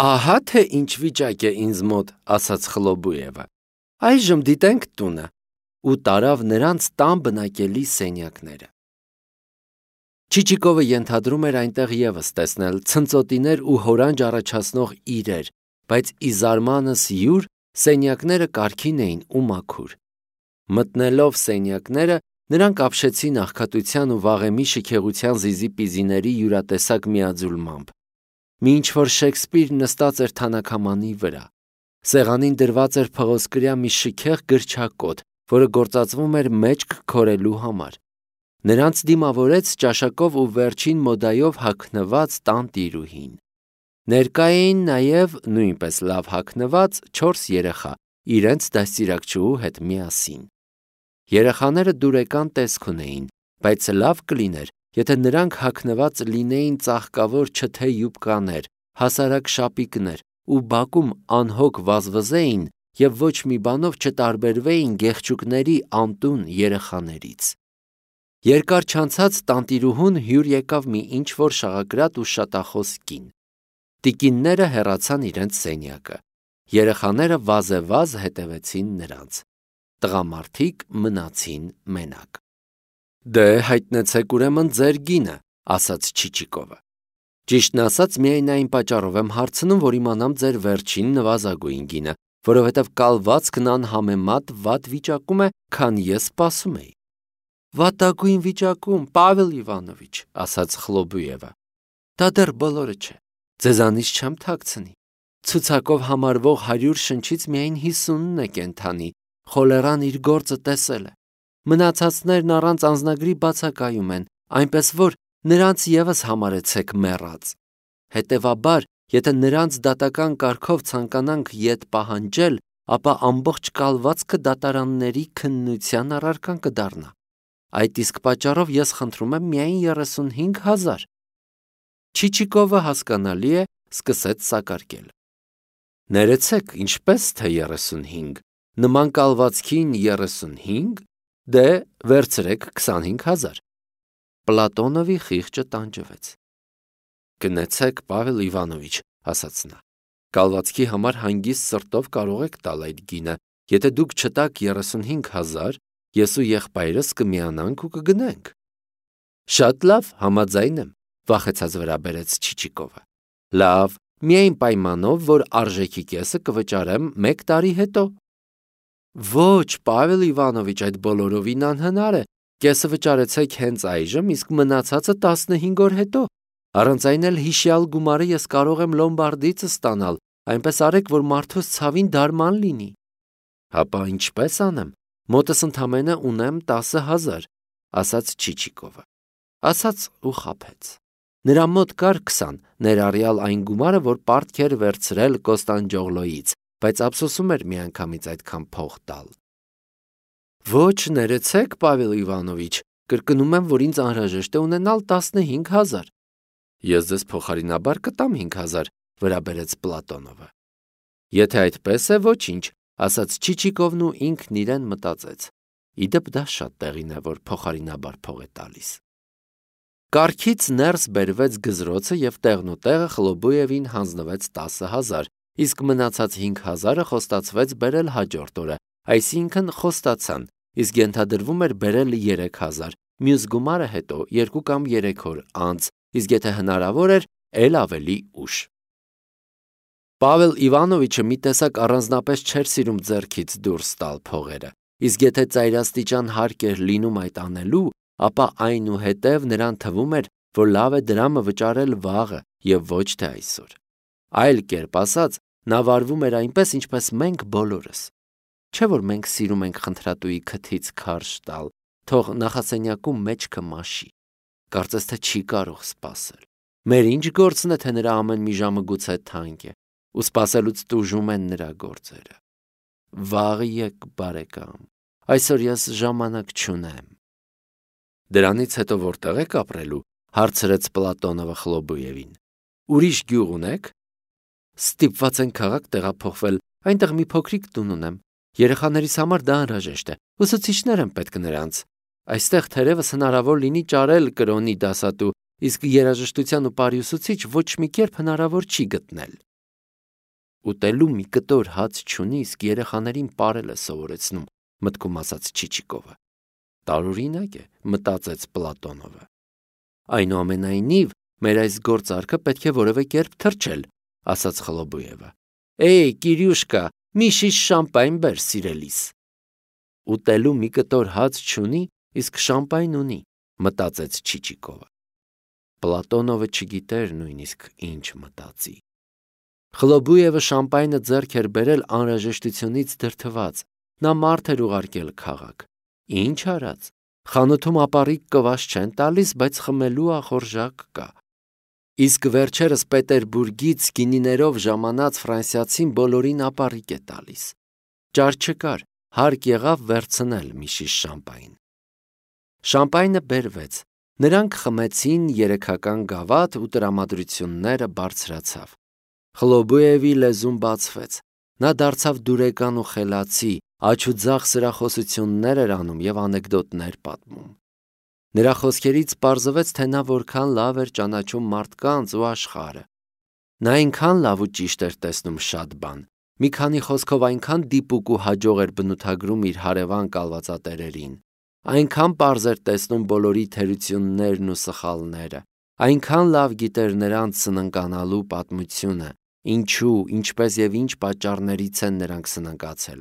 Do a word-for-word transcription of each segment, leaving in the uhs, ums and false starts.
Ահա թե ինչ վիճակ է ինձ մոտ, ասաց Խլոբուևը։ Այժմ դիտենք տունը, ու տարավ նրանց տան բնակելի սենյակները։ Չիչիկովը ենթադրում էր այնտեղ ևս տեսնել ցնծոտիներ ու հորանջ առաջացնող իրեր, բայց ի զարմանս յուր սենյակները կարգին էին ու մաքուր։ Մտնելով սենյակները, նրանք ապշեցին աղքատության ու վաղեմի շքեղության զիզի-պիզիների յուրատեսակ միաձուլմամբ։ Մի ինչ-որ Շեքսպիր նստած էր թանաքամանի վրա։ Սեղանին դրված էր փղոսկրյա մի շքեղ գրչակոթ, որը գործածվում էր մեջք քորելու համար։ Նրանց դիմավորեց ճաշակով ու վերջին մոդայով հագնված տանտիրուհին։ Ներկա էին նաև նույնպես լավ հագնված չորս երեխա, իրենց դաստիարակչուհու հետ միասին։ Երեխաները դուրեկան տեսք ունեին, բայց լավ կլիներ, եթե նրանք հագնված լինեին ծաղկավոր չթե յուբկաներ, հասարակ շապիկներ ու բակում անհոգ վազվզեին և ոչ մի բանով չտարբերվեին գեղչուկների անտուն երեխաներից։ Երկար չանցած տանտիրուհուն հյուր եկավ մի ինչ-որ շաղակրատ ու շատախոս կին։ Տիկինները հեռացան իրենց սենյակը։ Երեխաները վազեվազ հետևեցին նրանց։ Տղամարդիկ մնացին մենակ։ Դե հայտնեցեք ուրեմն ձեր գինը, ասաց Չիչիկովը։ Ճիշտն ասած, միայն այն պատճառով եմ հարցնում, որ իմանամ ձեր վերջին նվազագույն գինը, որովհետև կալվածքն անհամեմատ վատ վիճակում է, քան ես սպասում էի։ Վատագույն վիճակում, Պավել Իվանովիչ, ասաց Խլոբուևը։ Դա դեռ բոլորը չէ։ Ձեզանից չեմ թաքցնի։ Ցուցակով համարվող հարյուր շնչից միայն հիսունն է կենդանի, խոլերան իր գործը տեսել է։ Մնացածներն առանց անձնագրի բացակայում են, այնպես որ նրանց ևս համարեցեք մեռած։ Հետևաբար, եթե նրանց դատական կարգով ցանկանանք ետ պահանջել, ապա ամբողջ կալվածքը դատարանների քննության առարկան կդառնա։ Այդ իսկ պատճառով ես խնդրում եմ միայն երեսունհինգ հազար։ Չիչիկովը հասկանալի է, սկսեց սակարկել։ Ներեցեք, ինչպես թե երեսունհինգ, նման կալվածքին երեսունհինգ, դե վերցրեք քսանհինգ հազար։ Պլատոնովի խիղճը տանջվեց։ Գնացեք, Պավել Իվանովիչ, ասաց նա։ Կալվածքի համար հանգիստ սրտով կարող եք տալ այդ գինը, եթե դուք չտաք երեսունհինգ հազար, ես ու եղբայրս կմիանանք ու կգնենք։ Շատ լավ, համաձայն եմ, վախեցած վրա բերեց Չիչիկովը։ Լավ, միայն պայմանով, որ արժեքի կեսը կվճարեմ մեկ տարի հետո։ Ոչ, Պավել Իվանովիչ, այդ բոլորովին անհնար է։ Կեսը վճարեցեք հենց այժմ, իսկ մնացածը տասնհինգ օր հետո։ Առանց այն էլ հիշյալ գումարը ես կարող եմ Լոմբարդիցս ստանալ, այնպես արեք, որ մարդուս ցավին դարման լինի։ Հապա ինչպես անեմ, մոտս ընդամենը ունեմ տասը հազար, ասաց Չիչիկովը։ Ասաց ու խաբեց։ Նրա մոտ կար քսան, ներառյալ այն գումարը, որ պարտք էր վերցրել Կոստանդջոգլոյից, բայց ափսոսում էր միանգամից այդքան փող տալ։ Ոչ, ներեցեք, Պավել Իվանովիչ, կրկնում եմ, որ ինձ անհրաժեշտ է ունենալ տասնհինգ հազար։ Ես ձեզ փոխարինաբար կտամ հինգ հազար, վրա բերեց Պլատոնովը։ Եթե այդպես է, ոչինչ, ասաց Չիչիկովն ու ինքն իրեն մտածեց։ Իդեպ դա շատ տեղին է, որ փոխարինաբար փող է տալիս։ Կառքից ներս բերվեց գզրոցը և տեղնուտեղը Խլոբուևին հանձնվեց տասը հազար, իսկ մնացած հինգ հազարը խոստացվեց բերել հաջորդ օրը, այսինքն խոստացան, իսկ ենթադրվում էր բերել երեք հազար, մյուս գումարը հետո երկու կամ երեք օր անց, իսկ եթե հնարավոր էր, էլ ավելի ուշ։ Պավել Իվանովիչը մի տեսակ առանձնապես չէր սիրում ձեռքից դուրս տալ փողերը, իսկ եթե ծայրաստիճան հարկ էր լինում այդ անելու, ապա այնուհետև նրան թվում էր, որ լավ է դրամը վճարել վաղը և ոչ թե այսօր։ Այլ կերպ ասած, նա վարվում էր այնպես, ինչպես մենք բոլորս։ Չէ՞ որ մենք սիրում ենք խնդրատուի քթից քարշ տալ, թող նախասենյակում մեջքը մաշի։ Կարծես թե չի կարող սպասել։ Մեր ինչ գործն է, թե նրա ամեն մի ժամը գուցե թանկ է, ու սպասելուց տուժում են նրա գործերը։ Վաղ եկ, բարեկամ, այսօր ես ժամանակ չունեմ։ Դրանից հետո որտեղ եք ապրելու, հարցրեց Պլատոնովը Խլոբուևին։ Ուրիշ գյուղ ունեք։ Ստիպված են քաղաք տեղափոխվել, այնտեղ մի փոքրիկ տուն ունեմ։ Երեխաներիս համար դա անհրաժեշտ է, ուսուցիչներ են պետք նրանց։ Այստեղ թերևս հնարավոր լինի ճարել կրոնի դասատու, իսկ երաժշտության ու պարի ուսուցիչ ոչ մի կերպ հնարավոր չի գտնել։ Ուտելու մի կտոր հաց չունի, իսկ երեխաներին պարել է սովորեցնում, մտքում ասաց Չիչիկովը։ Տարօրինակ է, մտածեց Պլատոնովը։ Այնուամենայնիվ, մեր այս գործարքը պետք է որևէ կերպ թրջել, ասաց Խլոբուևը։ Էй, Կիրյուշկա, մի շիշ շամպայն բեր, սիրելիս։ Ուտելու մի կտոր հաց չունի, իսկ շամպայն ունի, մտածեց Չիչիկովը։ Պլատոնովը չգիտեր նույնիսկ ինչ մտածի։ Խլոբուևը շամպայնը ձեռք էր բերել անհրաժեշտությունից դրդված, նա մարդ էր ուղարկել քաղաք։ Ինչ արած, խանութում ապառիկ կվաս չեն տալիս, բայց խմելու ախորժակ կա։ Իսկ վերջերս Պետերբուրգից գինիներով ժամանած ֆրանսիացին բոլորին ապառիկ է տալիս։ Ճար չկար, հարկ եղավ վերցնել մի շիշ շամպայն։ Շամպայնը բերվեց, նրանք խմեցին երեքական գավաթ ու տրամադրությունները բարձրացավ։ Խլոբուևի լեզուն բացվեց, նա դարձավ դուրեկան ու խելացի, աջ ու ձախ սրախոսություններ էր անում և անեկդոտներ պատմում։ Նրա խոսքերից պարզվեց, թե նա որքան լավ էր ճանաչում մարդկանց ու աշխարհը։ Նա այնքան լավ ու ճիշտ էր տեսնում շատ բան, մի քանի խոսքով այնքան դիպուկ ու հաջող էր բնութագրում իր հարևան կալվածատերերին, այնքան պարզ էր տեսնում բոլորի թերություններն ու սխալները, այնքան լավ գիտեր նրանց սննկանալու պատմությունը, ինչու, ինչպես և ինչ պատճառներից են նրանք սննկացել,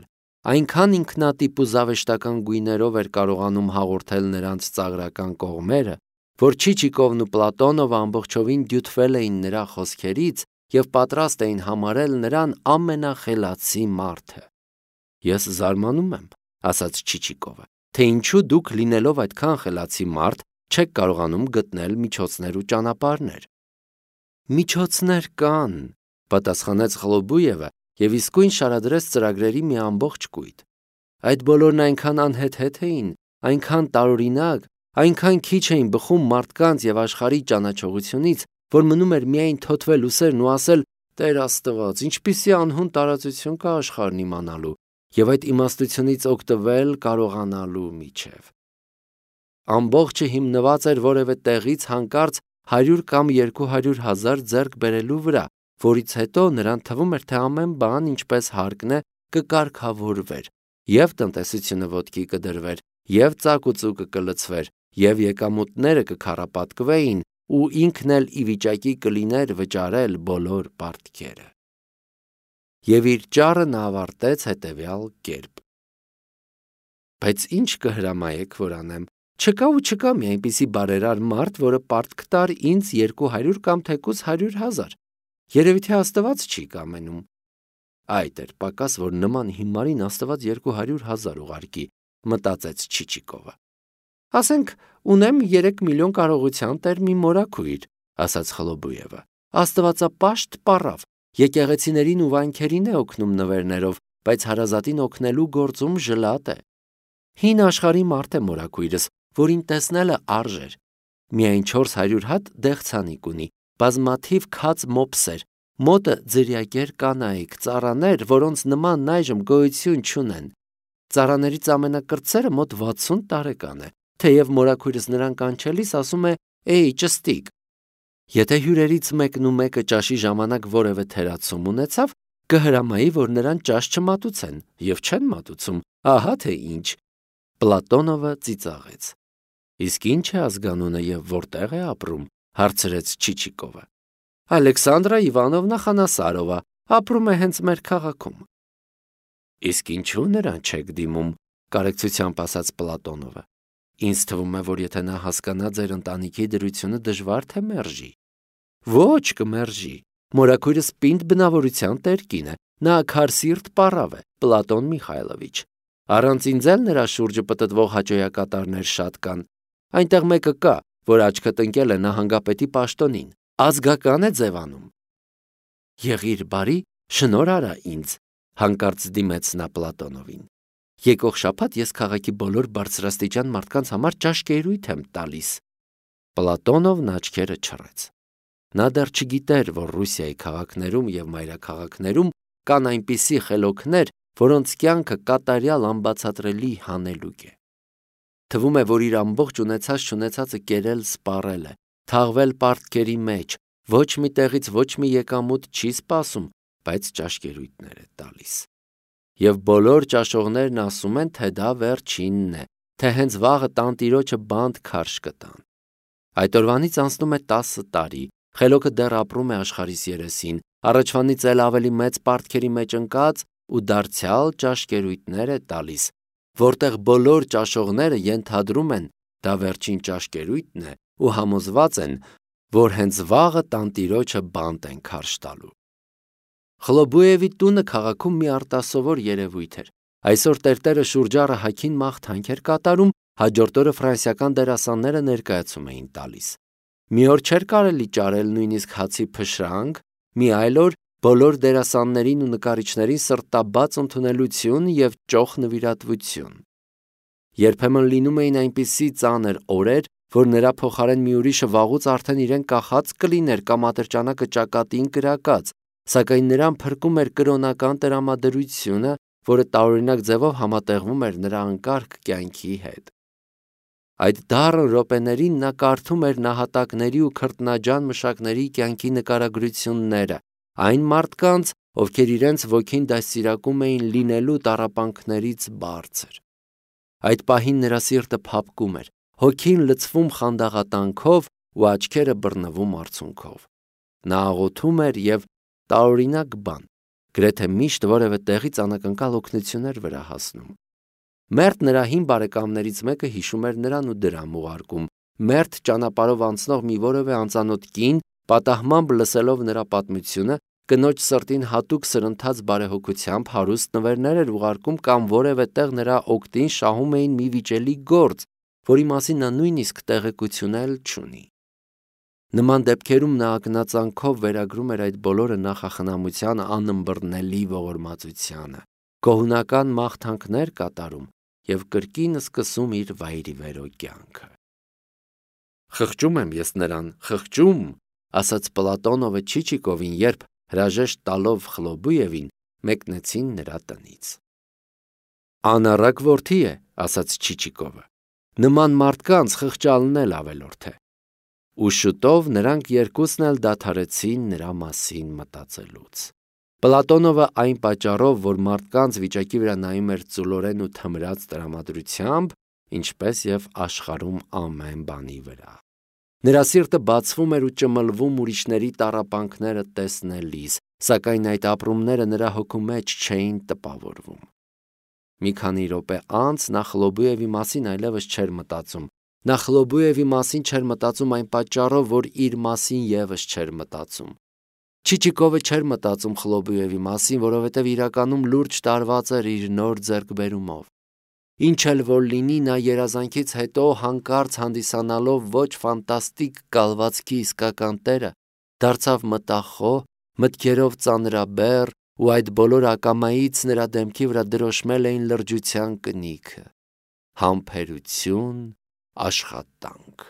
այնքան ինքնատիպ ու զավեշտական գույներով էր կարողանում հաղորդել նրանց ծաղրական կողմերը, որ Չիչիկովն ու Պլատոնովը ամբողջովին դյութվել էին նրա խոսքերից և պատրաստ էին համարել նրան ամենախելացի մարդը։ Ես զարմանում եմ, ասաց Չիչիկովը, թե ինչու դուք լինելով այդքան խելացի մարդ չեք կարողանում գտնել միջոցներ ու ճանապարհներ։ Միջոցներ կան, պատասխանեց Խլոբուևը և իսկույն շարադրեց ծրագրերի մի ամբողջ կույտ։ Այդ բոլորն այնքան անհեթեթ էին, այնքան տարօրինակ, այնքան քիչ էին բխում մարդկանց և աշխարհի ճանաչողությունից, որ մնում էր միայն թոթվել ուսերն ու ասել. «Տեր Աստված, ինչպիսի անհուն տարածություն կա աշխարհն իմանալու» և այդ իմաստությունից օգտվել կարողանալու միջև։ Ամբողջը հիմնված էր որևէ տեղից հանկարծ հարյուր կամ երկու հարյուր հազար ձեռք բերելու վրա, որից հետո նրան թվում էր, թե ամեն բան, ինչպես հարկն է, կկարգավորվեր, և տնտեսությունը ոտքի կդրվեր, և ծակուծուկը կլցվեր, և եկամուտները կքառապատկվեին, ու ինքն էլ ի վիճակի կլիներ վճարել բոլոր պարտքերը։ Եվ իր ճառը նա ավարտեց հետևյալ կերպ. Բայց ինչ կհրամայեք, որ անեմ, չկա ու չկա մի այնպիսի բարերար մարդ, որը պարտք տար ինձ երկու հարյուր կամ թեկուզ հարյուր հազար, երևի թե Աստված չի կամենում։ Այդ էր պակաս, որ նման հիմարին Աստված երկու հարյուր հազար ուղարկի, մտածեց Չիչիկովը։ Ասենք, ունեմ երեք միլիոն կարողության տեր մի մորաքույր, ասաց Խլոբուևը։ Աստվածապաշտ պառավ, եկեղեցիներին ու վանքերին է օգնում նվերներով, բայց հարազատին օգնելու գործում ժլատ է։ Հին աշխարհի մարդ է մորաքույրս, որին տեսնելը արժ էր։ Միայն չորս հարյուր հատ դեղցանիկ ունի, բազմաթիվ քաց մոպսեր, մոտը ձրիակեր կանայք, ծառաներ, որոնց նմանն այժմ գոյություն չունեն։ Ծառաներից ամենակրտսերը մոտ վաթսուն տարեկան է, թեև մորաքույրս նրան կանչելիս ասում է. «Էй, ճստիկ»։ Եթե հյուրերից մեկն ու մեկը ճաշի ժամանակ որևէ թերացում ունեցավ, կհրամայի, որ նրան ճաշ չմատուցեն, և չեն մատուցում, ահա թե ինչ։ Պլատոնովը ծիծաղեց։ Իսկ ինչ է ազգանունը և որտեղ է ապրում, հարցրեց Չիչիկովը։ Ալեքսանդրա Իվանովնա Խանասարովա, ապրում է հենց մեր քաղաքում։ Իսկ ինչու նրան չեք դիմում, կարեկցությամբ ասաց Պլատոնովը։ Ինձ թվում է, որ եթե նա հասկանա ձեր ընտանիքի դրությունը, դժվար թե մերժի։ Ոչ, կմերժի։ Մորաքույրս պինդ բնավորության տեր կին է, նա քարսիրտ պառավ է, Պլատոն Միխայլովիչ։ Առանց ինձ էլ նրա շուրջը պտտվող հաճոյակատարներ շատ կան։ Այնտեղ մեկը կա, որ աչքը տնկել է նահանգապետի պաշտոնին, ազգական է ձևանում։ Եղիր բարի, շնոր արա ինձ, հանկարծ դիմեց նա Պլատոնովին։ Եկող շաբաթ ես քաղաքի բոլոր բարձրաստիճան մարդկանց համար ճաշկերույթ եմ տալիս։ Պլատոնովն աչքերը չռեց։ Նա դեռ չգիտեր, որ Ռուսիայի քաղաքներում և մայրաքաղաքներում կան այնպիսի խելոքներ, որոնց կյանքը կատարյալ անբացատրելի հանելուկ է։ Թվում է, որ իր ամբողջ ունեցած-չունեցածը կերել սպառել է, թաղվել պարտքերի մեջ, ոչ մի տեղից ոչ մի եկամուտ չի սպասում, բայց ճաշկերույթներ է տալիս։ Եվ բոլոր ճաշողներն ասում են, թե դա վերջինն է, թե հենց վաղը տանտիրոջը բանտ քարշ կտան։ Այդ օրվանից անցնում է տասը տարի, խելոքը դեռ ապրում է աշխարհիս երեսին, առաջվանից էլ ավելի մեծ պարտքերի մեջ ընկած ու դարձյալ ճաշկերույթներ է տալիս, որտեղ բոլոր ճաշողները ենթադրում են, դա վերջին ճաշկերույթն է ու համոզված են, որ հենց վաղը տանտիրոջը բանտ են քարշ տալու։ Խլոբուևի տունը քաղաքում մի արտասովոր երևույթ էր։ Այսօր տերտերը շուրջառը հագին մաղթանք էր կատարում, հաջորդ օրը ֆրանսիական դերասանները ներկայացում էին տալիս։ Մի օր չէր կարելի ճարել նույնիսկ հացի փշրանք, մի այլ օր բոլոր դերասաններին ու նկարիչներին սրտաբաց ընդունելություն և ճոխ նվիրատվություն։ Երբեմն լինում էին այնպիսի ծանր օրեր, որ նրա փոխարեն մի ուրիշը վաղուց արդեն իրեն կախած կլիներ կամ ատրճանակը ճակատին կրակած, սակայն նրան փրկում էր կրոնական տրամադրությունը, որը տարօրինակ ձևով համատեղվում էր նրա անկարգ կյանքի հետ։ Այդ դառն րոպեներին նա կարդում էր նահատակների ու քրտնաջան մշակների կյանքի նկարագրությունները, այն մարդկանց, ովքեր իրենց ոգին դաստիարակում էին լինելու տառապանքներից բարձր։ Այդ պահին նրա սիրտը փափկում էր, հոգին լցվում խանդաղատանքով ու աչքերը բռնվում արցունքով։ Նա աղոթում էր և տարօրինակ բան, գրեթե միշտ որևէ տեղից անակնկալ օգնություն էր վրա հասնում։ Մերթ նրա հին բարեկամներից մեկը հիշում էր նրան ու դրամ ուղարկում։ Մերթ ճանապարհով անցնող մի որևէ անծանոթ կին, պատահմամբ լսելով նրա պատմությունը, կնոջ սրտին հատուկ սրընթաց բարեհոգությամբ հարուստ նվերներ էր ուղարկում կամ որևէ տեղ նրա օգտին շահում էին մի վիճելի գործ, որի մասին նա նույնիսկ տեղեկություն էլ չունի։ Նման դեպքերում նա ակնածանքով վերագրում էր այդ բոլորը նախախնամության անըմբռնելի ողորմածությանը, գոհունական մաղթանքներ կատարում և կրկին սկսում իր վայրիվերո կյանքը։ «Խղճում եմ ես նրան, խղճում», ասաց Պլատոնովը Չիչիկովին, երբ, հրաժեշտ տալով Խլոբուևին, մեկնեցին նրա տնից։ «Անառակ որդի է», ասաց Չիչիկովը, «նման մարդկանց խղճալն էլ ավելորդ է»։ Ու շուտով նրանք երկուսն էլ դադարեցին նրա մասին մտածելուց։ Պլատոնովը այն պատճառով, որ մարդկանց վիճակի վրա նայում էր ծուլորեն ու թմրած տրամադրությամբ, ինչպես և աշխարհում ամեն բանի վրա։ Նրա սիրտը բացվում էր ու ճմլվում ուրիշների տառապանքները տեսնելիս, սակայն այդ ապրումները նրա հոգու մեջ չէին տպավորվում։ Մի քանի րոպե անց նա Խլոբուևի մասին այլևս չէր մտածում։ Նա Խլոբուևի մասին չէր մտածում այն պատճառով, որ իր մասին ևս չէր մտածում։ Չիչիկովը չէր մտածում Խլոբուևի մասին, որովհետև իրականում լուրջ տարված էր իր նոր ձեռքբերումով։ Ինչ էլ որ լինի, նա երազանքից հետո հանկարծ հանդիսանալով ոչ ֆանտաստիկ կալվածքի իսկական տերը, դարձավ մտախոհ, մտքերով ծանրաբեռ, ու այդ բոլոր ակամայից նրա դեմքի վրա դրոշմել էին լրջության կնիքը, համբերություն, աշխատանք։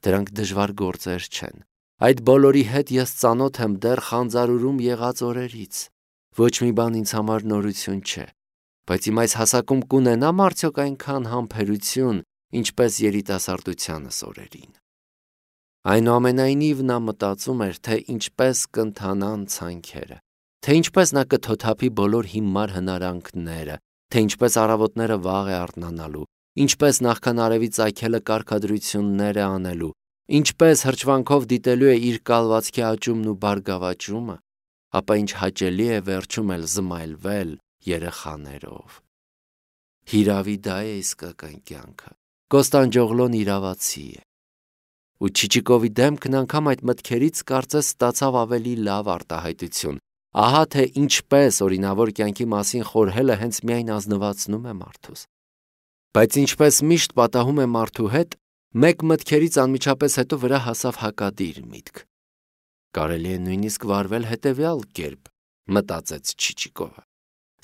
Դրանք դժվար գործեր չեն։ Այդ բոլորի հետ ես ծանոթ եմ դեռ խանձարուրում եղած օրերից։ Ոչ մի բան ինձ համար նորություն չէ, բայց իմ այս հասակում կունենամ արդյոք այնքան համբերություն, ինչպես երիտասարդությանս օրերին։ Այնուամենայնիվ նա մտածում էր, թե ինչպես կընթանան ցանքերը, թե ինչպես նա կթոթափի բոլոր հիմար հնարանքները, թե ինչպես առավոտները վաղ է արթնանալու, ինչպես նախքան արևի ծագելը կարգադրություններ է անելու, ինչպես հրճվանքով դիտելու է իր կալվածքի աճումն ու բարգավաճումը, ապա ինչ հաճելի է վերջում էլ զմայլվել երեխաներով։ Հիրավի դա է իսկական կյանքը։ Կոստանդջոգլոն իրավացի է։ Ու Չիչիկովի դեմքն անգամ այդ մտքերից կարծես ստացավ ավելի լավ արտահայտություն։ Ահա թե ինչպես օրինավոր կյանքի մասին խորհելը հենց միայն ազնվացնում է մարդուս։ Բայց ինչպես միշտ պատահում է մարդու հետ, մեկ մտքերից անմիջապես հետո վրա հասավ հակադիր միտք։ Կարելի է նույնիսկ վարվել հետևյալ կերպ, մտածեց Չիչիկովը։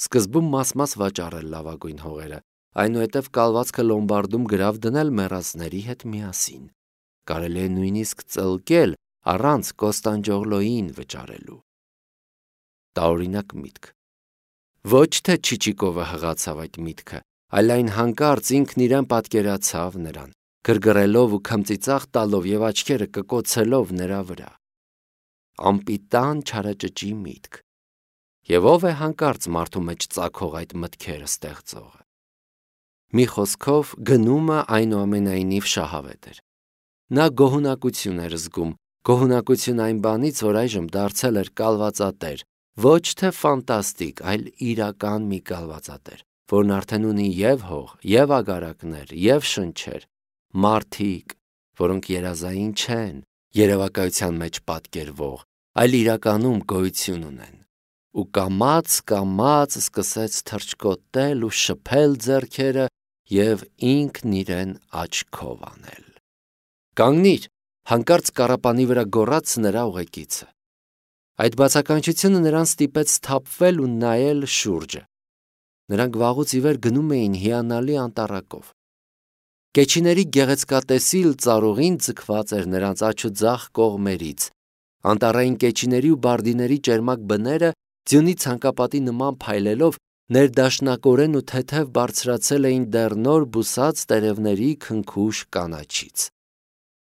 Սկզբում մաս-մաս վաճառել լավագույն հողերը, այնուհետև կալվածքը լոմբարդում գրավ դնել մեռածների հետ միասին։ Կարելի է նույնիսկ ծլկել առանց Կոստանդջոգլոյին վճարելու։ Տարօրինակ միտք։ Ոչ թե Չիչիկովը հղացավ այդ միտքը, այլ այն հանկարծ ինքն իրեն պատկերացավ նրան, գրգռելով ու քմծիծաղ տալով և աչքերը կկոցելով նրա վրա։ Անպիտան չարաճճի միտք։ Եվ ով է հանկարծ մարդու մեջ ծագող այդ մտքերը ստեղծողը։ Մի խոսքով գնումը այնուամենայնիվ շահավետ էր։ Նա գոհունակություն էր զգում, գոհունակություն այն բանից, որ այժմ դարձել էր կալվածատեր, ոչ թե ֆանտաստիկ, այլ իրական մի կալվածատեր, որն արդեն ունի և հող, և ագարակներ, և շնչեր, մարդիկ, որոնք երազային չեն, երևակայության մեջ պատկերվող, այլ իրականում գոյություն ունեն։ Ու կամաց-կամաց սկսեց թռչկոտել ու շփել ձեռքերը և ինքն իրեն աչքով անել։ «Կանգնի՛ր», հանկարծ կառապանի վրա գոռաց նրա ուղեկիցը։ Այդ բացականչությունը նրան ստիպեց սթափվել ու նայել շուրջը։ Նրանք վաղուց ի վեր գնում էին հիանալի անտառակով։ Կեչիների գեղեցկատեսիլ ծառուղին ձգված էր նրանց աջ ու ձախ կողմերից։ Անտառային կեչիների ու բարդիների ճերմակ բները ձյունի ցանկապատի նման փայլելով ներդաշնակորեն ու թեթև բարձրացել էին դեռ նոր բուսած տերևների քնքուշ կանաչից։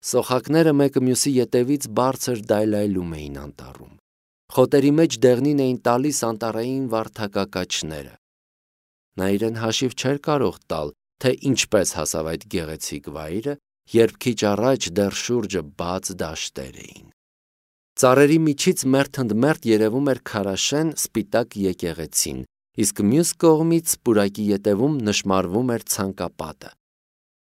Սոխակները մեկը մյուսի ետևից բարձր դայլայլում էին անտառում։ Խոտերի մեջ դեղնին էին տալիս անտառային վարդակակաչները։ Նա իրեն հաշիվ չէր կարող տալ, թե ինչպես հասավ այդ գեղեցիկ վայրը, երբ քիչ առաջ դեռ շուրջը բաց դաշտեր էին։ Ծառերի միջից մերթ ընդ մերթ երևում էր քարաշեն սպիտակ եկեղեցին, իսկ մյուս կողմից պուրակի ետևում նշմարվում էր ցանկապատը։